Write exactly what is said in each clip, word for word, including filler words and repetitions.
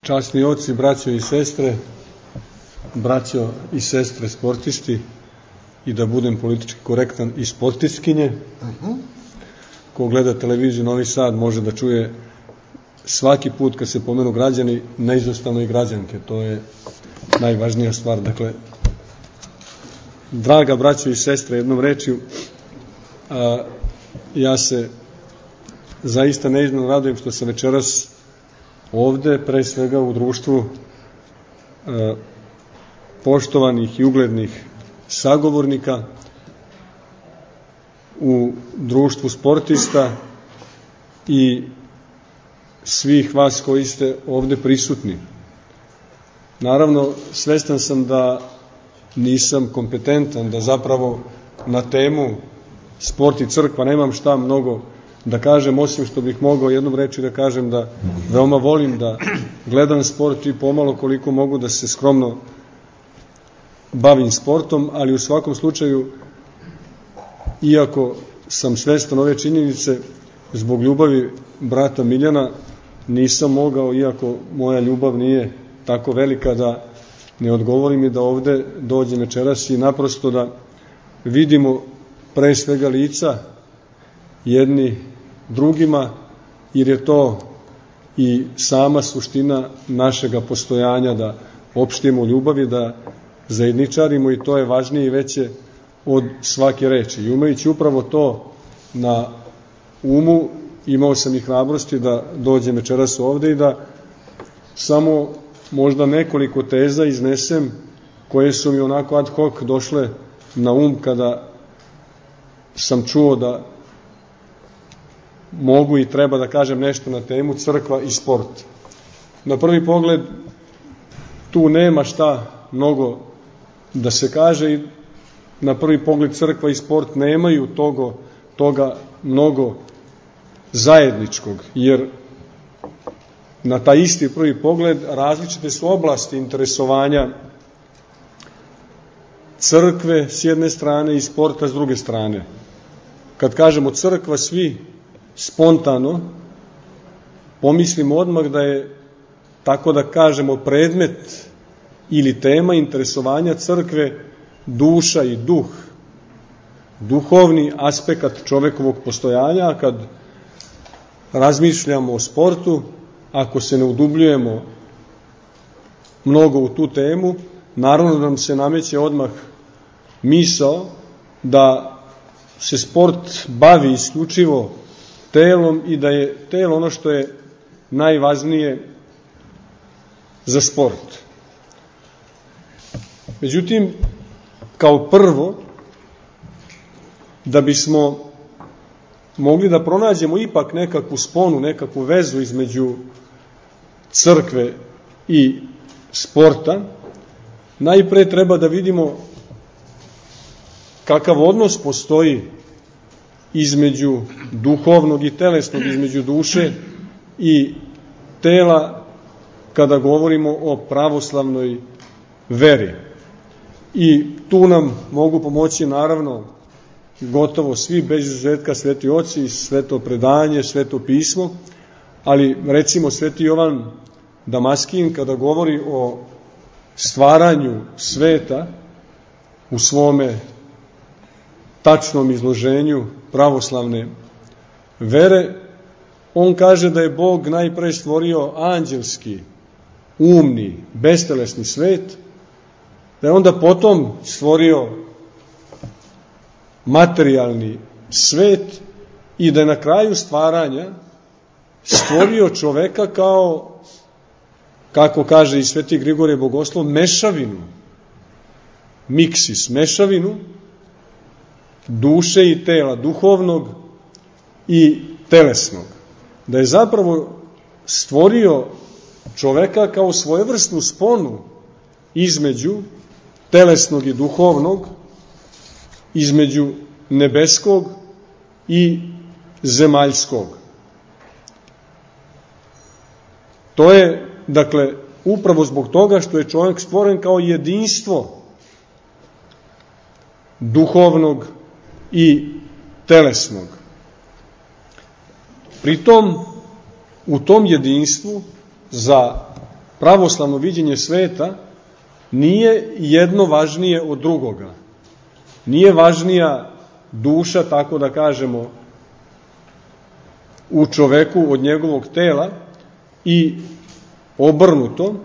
Časni oci, braćo i sestre, braćo i sestre sportisti i da budem politički korektan i sportistkinje. Uh-huh. Ko gleda televiziju Novi Sad može da čuje svaki put kad se pomenu građani, neizostavno i građanke. To je najvažnija stvar. Dakle, draga braćo i sestre, jednom rečju, a, ja se zaista neizmjerno radujem što sam večeras ovde, pre svega u društvu e, poštovanih i uglednih sagovornika, u društvu sportista i svih vas koji ste ovde prisutni. Naravno, svestan sam da nisam kompetentan, da zapravo na temu sport i crkva nemam šta mnogo da kažem, osim što bih mogao jednom reći da kažem da veoma volim da gledam sport i pomalo koliko mogu da se skromno bavim sportom, ali u svakom slučaju, iako sam svestan ove činjenice, zbog ljubavi brata Miljana nisam mogao, iako moja ljubav nije tako velika, da ne odgovorim i da ovde dođem večeras i naprosto da vidimo pre svega lica jedni drugima, jer je to i sama suština našega postojanja, da opštimo ljubavi, da zajedničarimo, i to je važnije i veće od svake reči. I umajući upravo to na umu, imao sam i hrabrosti da dođem večeras ovde i da samo možda nekoliko teza iznesem koje su mi onako ad hoc došle na um kada sam čuo da mogu i treba da kažem nešto na temu crkva i sport. Na prvi pogled tu nema šta mnogo da se kaže i na prvi pogled crkva i sport nemaju togo, toga mnogo zajedničkog, jer na taj isti prvi pogled različite su oblasti interesovanja crkve s jedne strane i sporta s druge strane. Kad kažemo crkva, svi spontano pomislimo odmah da je, tako da kažemo, predmet ili tema interesovanja crkve duša i duh, duhovni aspekt čovekovog postojanja. A kad razmišljamo o sportu, ako se ne udubljujemo mnogo u tu temu, naravno da nam se nameće odmah misao da se sport bavi isključivo telom i da je telo ono što je najvažnije za sport. Međutim, kao prvo, da bismo mogli da pronađemo ipak nekakvu sponu, nekakvu vezu između crkve i sporta, najpre treba da vidimo kakav odnos postoji između duhovnog i telesnog, između duše i tela kada govorimo o pravoslavnoj veri. I tu nam mogu pomoći naravno gotovo svi, bez izuzetka, sveti oci, sveto predanje, sveto pismo, ali recimo sveti Jovan Damaskin kada govori o stvaranju sveta u svome tačnom izloženju pravoslavne vere, on kaže da je Bog najpre stvorio anđelski, umni, bestelesni svet, da je onda potom stvorio materijalni svet i da je na kraju stvaranja stvorio čoveka kao, kako kaže i sveti Grigorije Bogoslov, mešavinu, miksis, mešavinu duše i tela, duhovnog i telesnog. Da je zapravo stvorio čoveka kao svojevrsnu sponu između telesnog i duhovnog, između nebeskog i zemaljskog. To je, dakle, upravo zbog toga što je čovjek stvoren kao jedinstvo duhovnog i telesnog. Pritom, u tom jedinstvu za pravoslavno viđenje sveta nije jedno važnije od drugoga. Nije važnija duša, tako da kažemo, u čoveku od njegovog tela i obrnuto.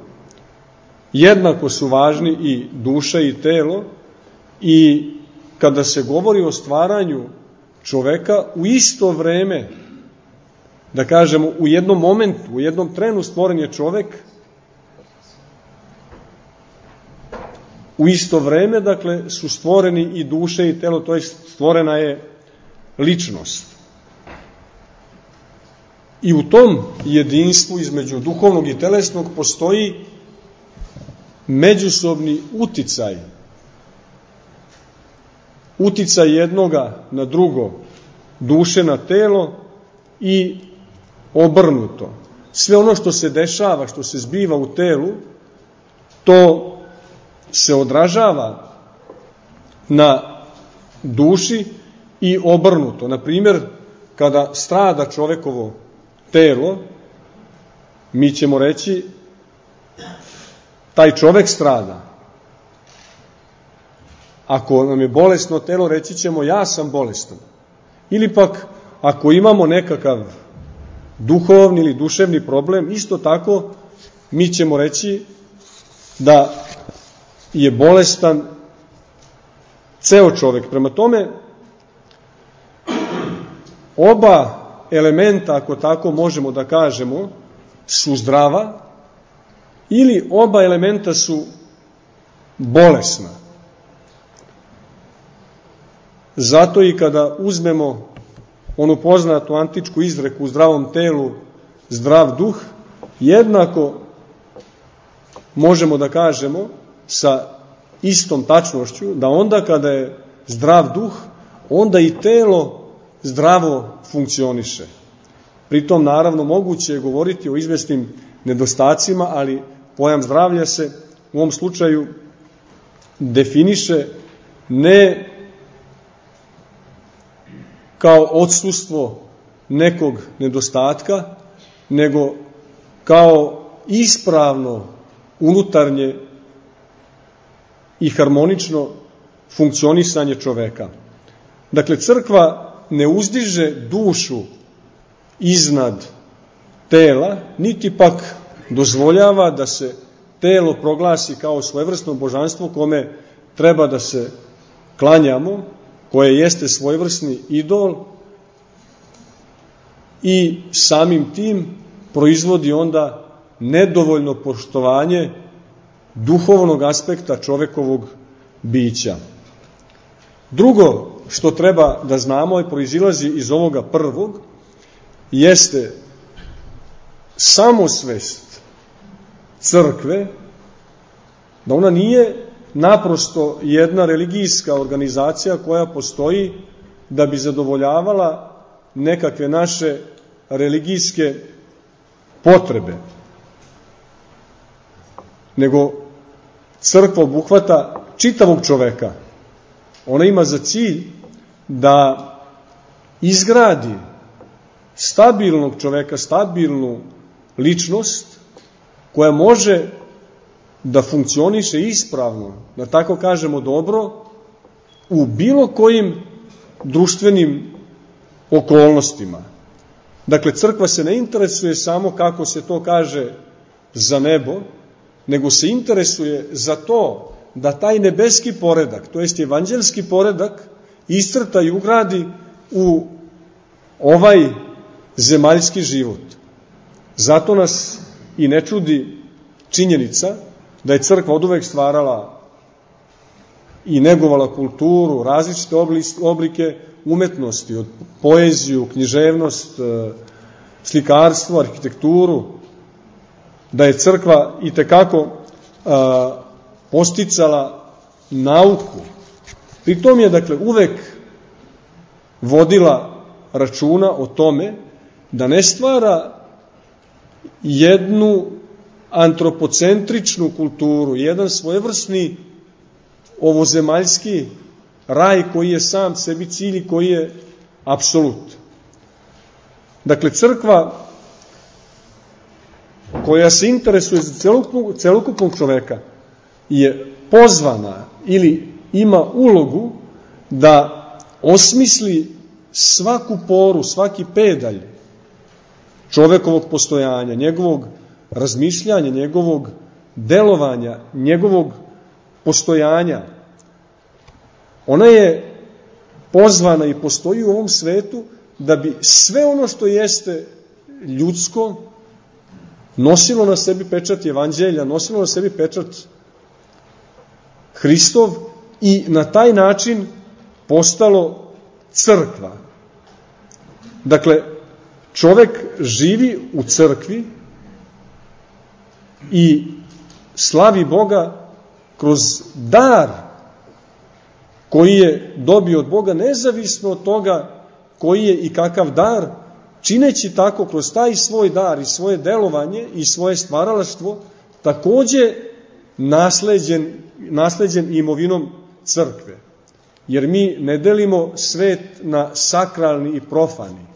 Jednako su važni i duša i telo, i kada se govori o stvaranju čoveka, u isto vreme, da kažemo, u jednom momentu, u jednom trenu stvoren je čovek, u isto vreme, dakle, su stvoreni i duša i telo, to je stvorena je ličnost. I u tom jedinstvu između duhovnog i telesnog postoji međusobni uticaj. Uticaj jednoga na drugo, duše na telo i obrnuto. Sve ono što se dešava, što se zbiva u telu, to se odražava na duši i obrnuto. Na primjer, kada strada čovekovo telo, mi ćemo reći taj čovek strada. Ako nam je bolesno telo, reći ćemo ja sam bolestan. Ili pak, ako imamo nekakav duhovni ili duševni problem, isto tako mi ćemo reći da je bolestan ceo čovek. Prema tome, oba elementa, ako tako možemo da kažemo, su zdrava, ili oba elementa su bolesna. Zato i kada uzmemo onu poznatu antičku izreku u zdravom telu, zdrav duh, jednako možemo da kažemo sa istom tačnošću da onda kada je zdrav duh, onda i telo zdravo funkcioniše. Pritom, naravno, moguće je govoriti o izvesnim nedostacima, ali pojam zdravlja se u ovom slučaju definiše ne kao odsustvo nekog nedostatka, nego kao ispravno unutarnje i harmonično funkcionisanje čoveka. Dakle, crkva ne uzdiže dušu iznad tela, niti pak dozvoljava da se telo proglasi kao svojevrsno božanstvo kome treba da se klanjamo, koje jeste svojevrsni idol, i samim tim proizvodi onda nedovoljno poštovanje duhovnog aspekta čovekovog bića. Drugo što treba da znamo i proizilazi iz ovoga prvog, jeste samosvest crkve, da ona nije naprosto jedna religijska organizacija koja postoji da bi zadovoljavala nekakve naše religijske potrebe, nego crkva obuhvata čitavog čoveka. Ona ima za cilj da izgradi stabilnog čoveka, stabilnu ličnost koja može da funkcioniše ispravno, da tako kažemo dobro, u bilo kojim društvenim okolnostima. Dakle, crkva se ne interesuje samo, kako se to kaže, za nebo, nego se interesuje za to da taj nebeski poredak, to jest evanđelski poredak, iscrta i ugradi u ovaj zemaljski život. Zato nas i ne čudi činjenica da je crkva oduvek stvarala i negovala kulturu, različite oblike umetnosti, od poeziju, književnost, slikarstvo, arhitekturu, da je crkva i tekako a, posticala nauku. Pri tom je, dakle, uvek vodila računa o tome da ne stvara jednu antropocentričnu kulturu, jedan svojevrsni ovozemaljski raj koji je sam sebi cilj i koji je apsolut. Dakle, crkva koja se interesuje za celokupnog, celokupnog čoveka, je pozvana ili ima ulogu da osmisli svaku poru, svaki pedalj čovekovog postojanja, njegovog razmišljanja, njegovog delovanja, njegovog postojanja. Ona je pozvana i postoji u ovom svetu da bi sve ono što jeste ljudsko nosilo na sebi pečat evanđelja, nosilo na sebi pečat Hristov i na taj način postalo crkva. Dakle, čovek živi u crkvi i slavi Boga kroz dar koji je dobio od Boga, nezavisno od toga koji je i kakav dar, čineći tako kroz taj svoj dar i svoje delovanje i svoje stvaralaštvo, takođe nasleđen, nasleđen imovinom crkve. Jer mi ne delimo svet na sakralni i profani.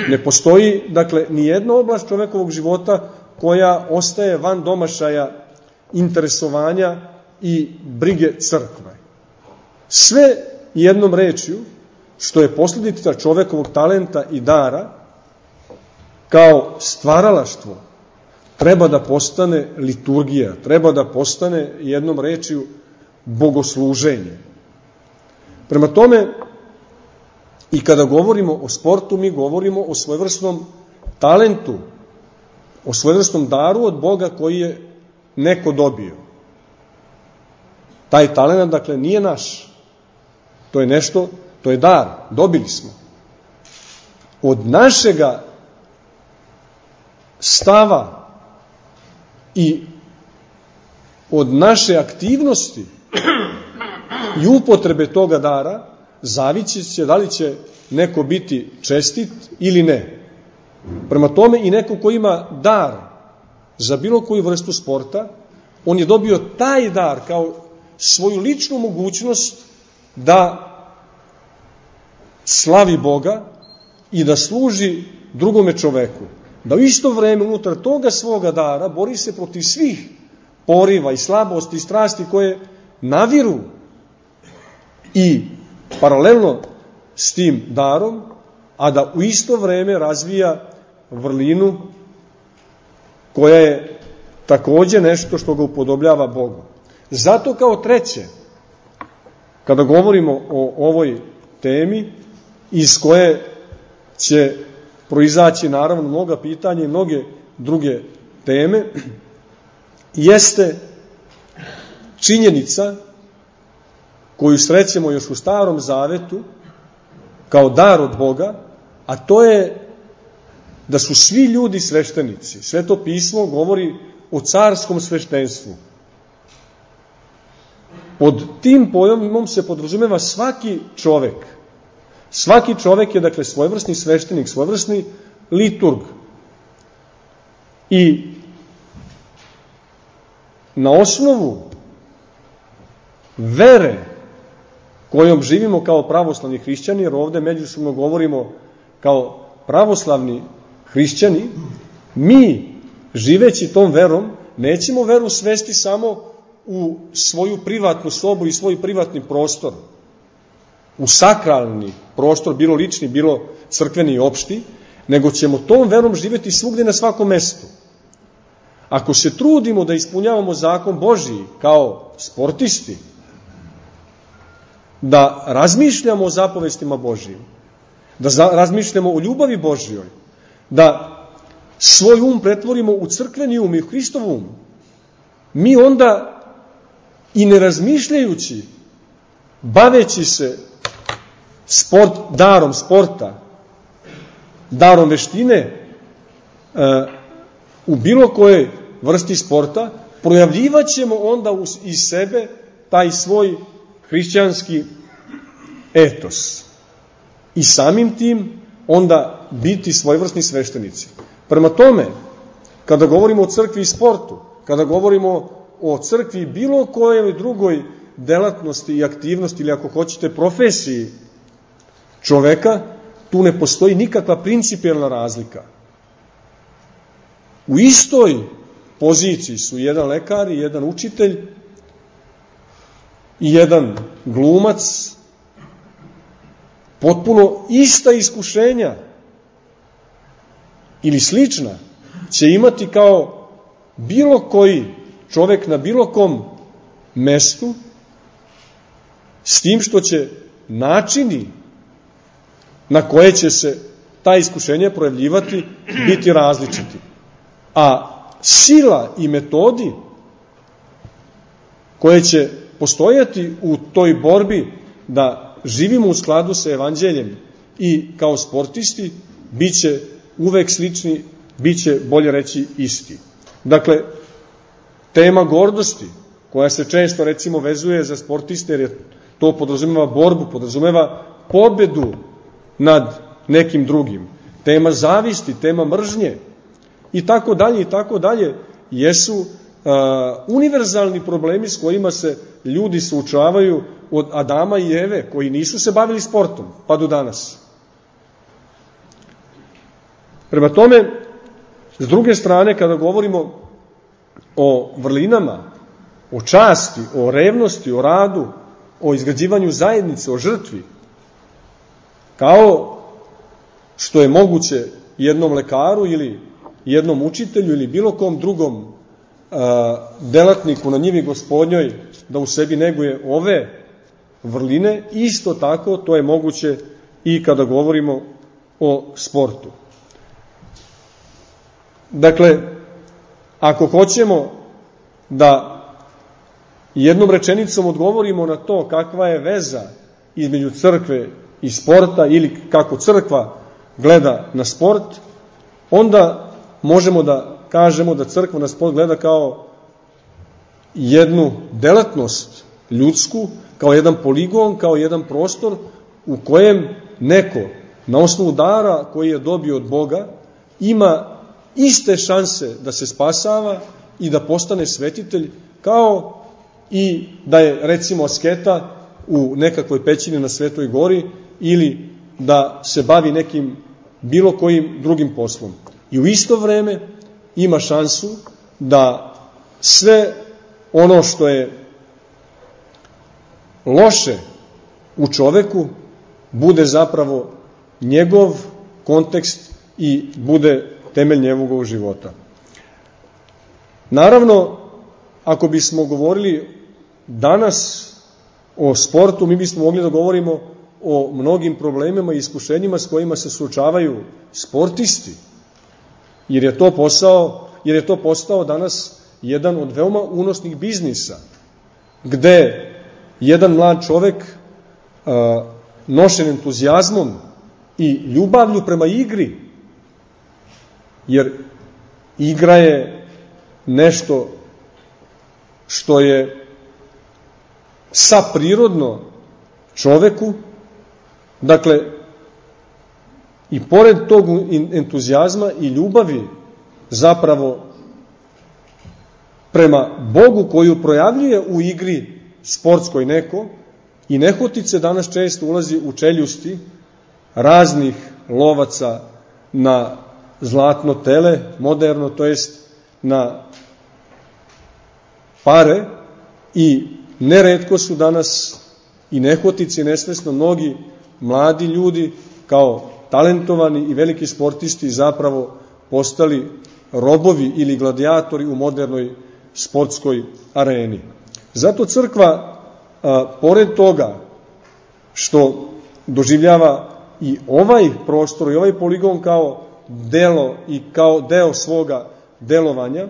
Ne postoji, dakle, ni jedna oblast čovekovog života koja ostaje van domašaja interesovanja i brige crkve. Sve jednom rečju, što je posledica čovekovog talenta i dara, kao stvaralaštvo, treba da postane liturgija, treba da postane jednom rečju bogosluženje. Prema tome, i kada govorimo o sportu, mi govorimo o svojevrsnom talentu, o svojevrsnom daru od Boga koji je neko dobio. Taj talent, dakle, nije naš. To je nešto, to je dar, dobili smo. Od našega stava i od naše aktivnosti i upotrebe toga dara zavići će da li će neko biti čestit ili ne. Prema tome, i neko ko ima dar za bilo koju vrstu sporta, on je dobio taj dar kao svoju ličnu mogućnost da slavi Boga i da služi drugome čoveku. Da u isto vreme unutar toga svoga dara bori se protiv svih poriva i slabosti i strasti koje naviru i paralelno s tim darom, a da u isto vreme razvija vrlinu koja je takođe nešto što ga upodobljava Bogu. Zato kao treće, kada govorimo o ovoj temi, iz koje će proizaći naravno mnoga pitanja i mnoge druge teme, jeste činjenica koju srećemo još u Starom Zavetu kao dar od Boga, a to je da su svi ljudi sveštenici. Sveto pismo govori o carskom sveštenstvu. Pod tim pojmom se podrazumeva svaki čovek. Svaki čovek je, dakle, svojevrsni sveštenik, svojevrsni liturg. I na osnovu vere kojom živimo kao pravoslavni hrišćani, jer ovde međusobno govorimo kao pravoslavni hrišćani, mi, živeći tom verom, nećemo veru svesti samo u svoju privatnu sobu i svoj privatni prostor, u sakralni prostor, bilo lični, bilo crkveni i opšti, nego ćemo tom verom živeti svugde na svakom mestu. Ako se trudimo da ispunjavamo zakon Božiji kao sportisti, da razmišljamo o zapovestima Božijim, da za, razmišljamo o ljubavi Božijoj, da svoj um pretvorimo u crkveni um i u Hristov um, mi onda i ne razmišljajući, baveći se sport, darom sporta, darom veštine, u bilo kojoj vrsti sporta, projavljivaćemo onda iz sebe taj svoj hrišćanski etos. I samim tim onda biti svojevrsni sveštenici. Prema tome, kada govorimo o crkvi i sportu, kada govorimo o crkvi bilo kojoj drugoj delatnosti i aktivnosti, ili ako hoćete profesiji čoveka, tu ne postoji nikakva principijelna razlika. U istoj poziciji su jedan lekar i jedan učitelj i jedan glumac, potpuno ista iskušenja ili slična će imati kao bilo koji čovek na bilo kom mestu, s tim što će načini na koje će se ta iskušenja projavljivati biti različiti. A sila i metodi koje će postojati u toj borbi da živimo u skladu sa evanđeljem i kao sportisti, bit će uvek slični, bit će, bolje reći, isti. Dakle, tema gordosti, koja se često, recimo, vezuje za sportiste, jer to podrazumeva borbu, podrazumeva pobedu nad nekim drugim. Tema zavisti, tema mržnje i tako dalje i tako dalje jesu uh, univerzalni problemi s kojima se ljudi suočavaju od Adama i Eve, koji nisu se bavili sportom, pa do danas. Prema tome, s druge strane, kada govorimo o vrlinama, o časti, o revnosti, o radu, o izgrađivanju zajednice, o žrtvi, kao što je moguće jednom lekaru ili jednom učitelju ili bilo kom drugom a, delatniku na njivi gospodnjoj da u sebi neguje ove vrline, isto tako to je moguće i kada govorimo o sportu. Dakle, ako hoćemo da jednom rečenicom odgovorimo na to kakva je veza između crkve i sporta ili kako crkva gleda na sport, onda možemo da kažemo da crkva na sport gleda kao jednu delatnost ljudsku, kao jedan poligon, kao jedan prostor u kojem neko na osnovu dara koji je dobio od Boga ima iste šanse da se spasava i da postane svetitelj, kao i da je, recimo, asketa u nekakvoj pećini na Svetoj gori ili da se bavi nekim bilo kojim drugim poslom. I u isto vreme ima šansu da sve ono što je loše u čoveku bude zapravo njegov kontekst i bude temelj njegovog života. Naravno, ako bismo govorili danas o sportu, mi bismo mogli da govorimo o mnogim problemima i iskušenjima s kojima se suočavaju sportisti, jer je to posao, jer je to postao danas jedan od veoma unosnih biznisa, gde jedan mlad čovek a, nošen entuzijazmom i ljubavlju prema igri, jer igra je nešto što je saprirodno čoveku, dakle, i pored tog entuzijazma i ljubavi zapravo prema Bogu koju projavljuje u igri sportskoj neko, i nehotice danas često ulazi u čeljusti raznih lovaca na zlatno tele, moderno, to jest na pare, i neretko su danas i nehotice i nesvesno mnogi mladi ljudi kao talentovani i veliki sportisti zapravo postali robovi ili gladijatori u modernoj sportskoj areni. Zato crkva, a, pored toga što doživljava i ovaj prostor i ovaj poligon kao delo i kao deo svoga delovanja,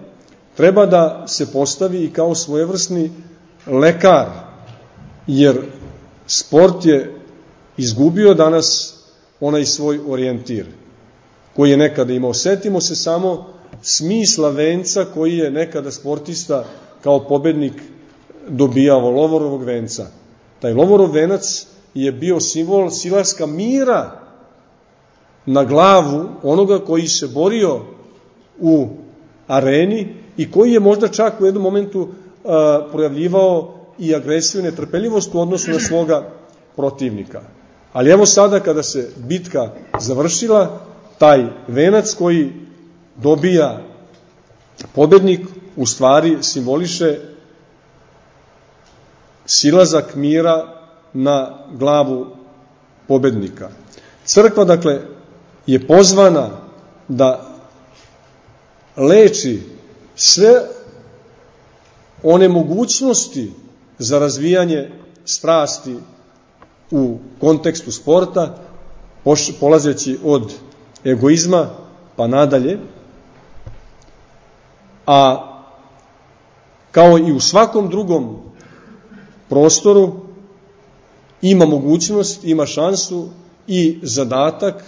treba da se postavi i kao svojevrsni lekar, jer sport je izgubio danas onaj svoj orijentir koji je nekada imao. Setimo se samo smisla venca koji je nekada sportista kao pobednik dobijao, lovorovog venca. Taj lovorov venac je bio simbol silaska mira na glavu onoga koji se borio u areni i koji je možda čak u jednom momentu a, projavljivao i agresiju i netrpeljivost u odnosu na svoga protivnika. Ali evo sada kada se bitka završila, taj venac koji dobija pobednik u stvari simboliše silazak mira na glavu pobednika. Crkva, dakle, je pozvana da leči sve one mogućnosti za razvijanje strasti u kontekstu sporta, polazeći od egoizma pa nadalje, a kao i u svakom drugom prostoru ima mogućnost, ima šansu i zadatak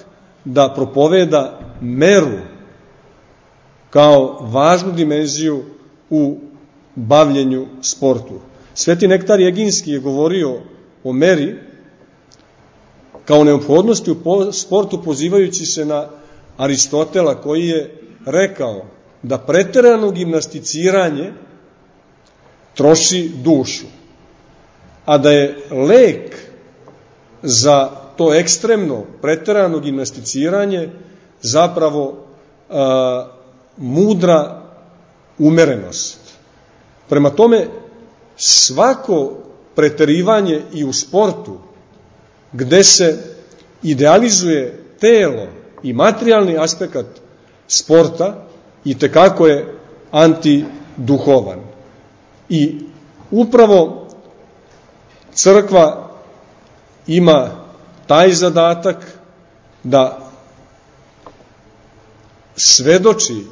da propoveda meru kao važnu dimenziju u bavljenju sportu. Sveti Nektar Eginski je govorio o meri kao neophodnosti u sportu, pozivajući se na Aristotela, koji je rekao da preterano gimnasticiranje troši dušu, a da je lek za to ekstremno preterano gimnasticiranje zapravo a, mudra umerenost. Prema tome, svako preterivanje i u sportu, gde se idealizuje telo i materijalni aspekt sporta, i tekako je antiduhovan. I upravo crkva ima taj zadatak da svedoči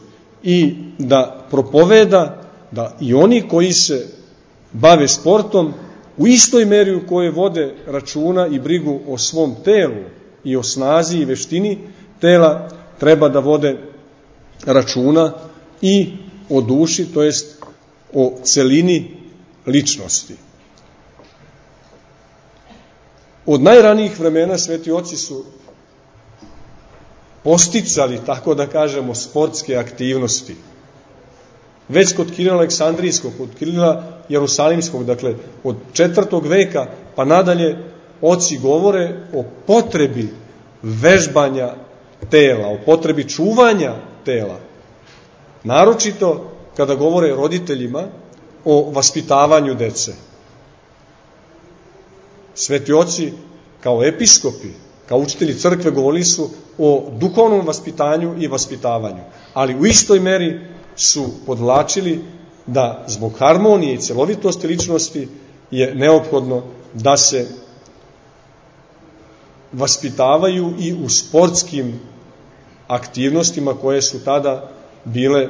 i da propoveda da i oni koji se bave sportom u istoj meri u kojoj vode računa i brigu o svom telu i o snazi i veštini tela, treba da vode računa i o duši, to jest o celini ličnosti. Od najranijih vremena sveti oci su posticali, tako da kažemo, sportske aktivnosti. Već kod Kirila Aleksandrijskog, kod Kirila Jerusalimskog, dakle od četvrtog veka pa nadalje, oci govore o potrebi vežbanja tela, o potrebi čuvanja tela. Naročito kada govore roditeljima o vaspitavanju dece. Sveti oci kao episkopi, kao učitelji crkve govorili su o duhovnom vaspitanju i vaspitavanju, ali u istoj meri su podvlačili da zbog harmonije i celovitosti ličnosti je neophodno da se vaspitavaju i u sportskim aktivnostima koje su tada bile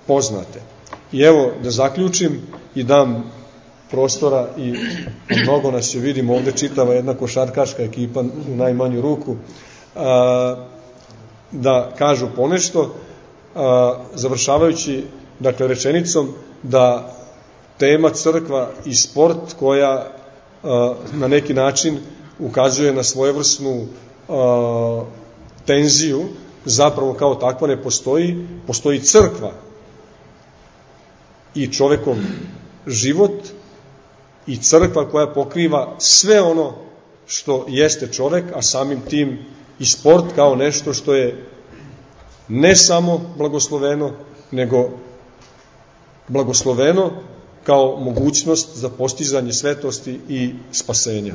poznate. I evo, da zaključim i dam prostora, i mnogo nas je, vidimo ovde čitava jedna košarkaška ekipa u najmanju ruku, da kažu ponešto, završavajući, dakle, rečenicom da tema crkva i sport, koja na neki način ukazuje na svojevrsnu tenziju, zapravo kao takva ne postoji. Postoji crkva i čovekov život i crkva koja pokriva sve ono što jeste čovek, a samim tim i sport kao nešto što je ne samo blagosloveno, nego blagosloveno kao mogućnost za postizanje svetosti i spasenja.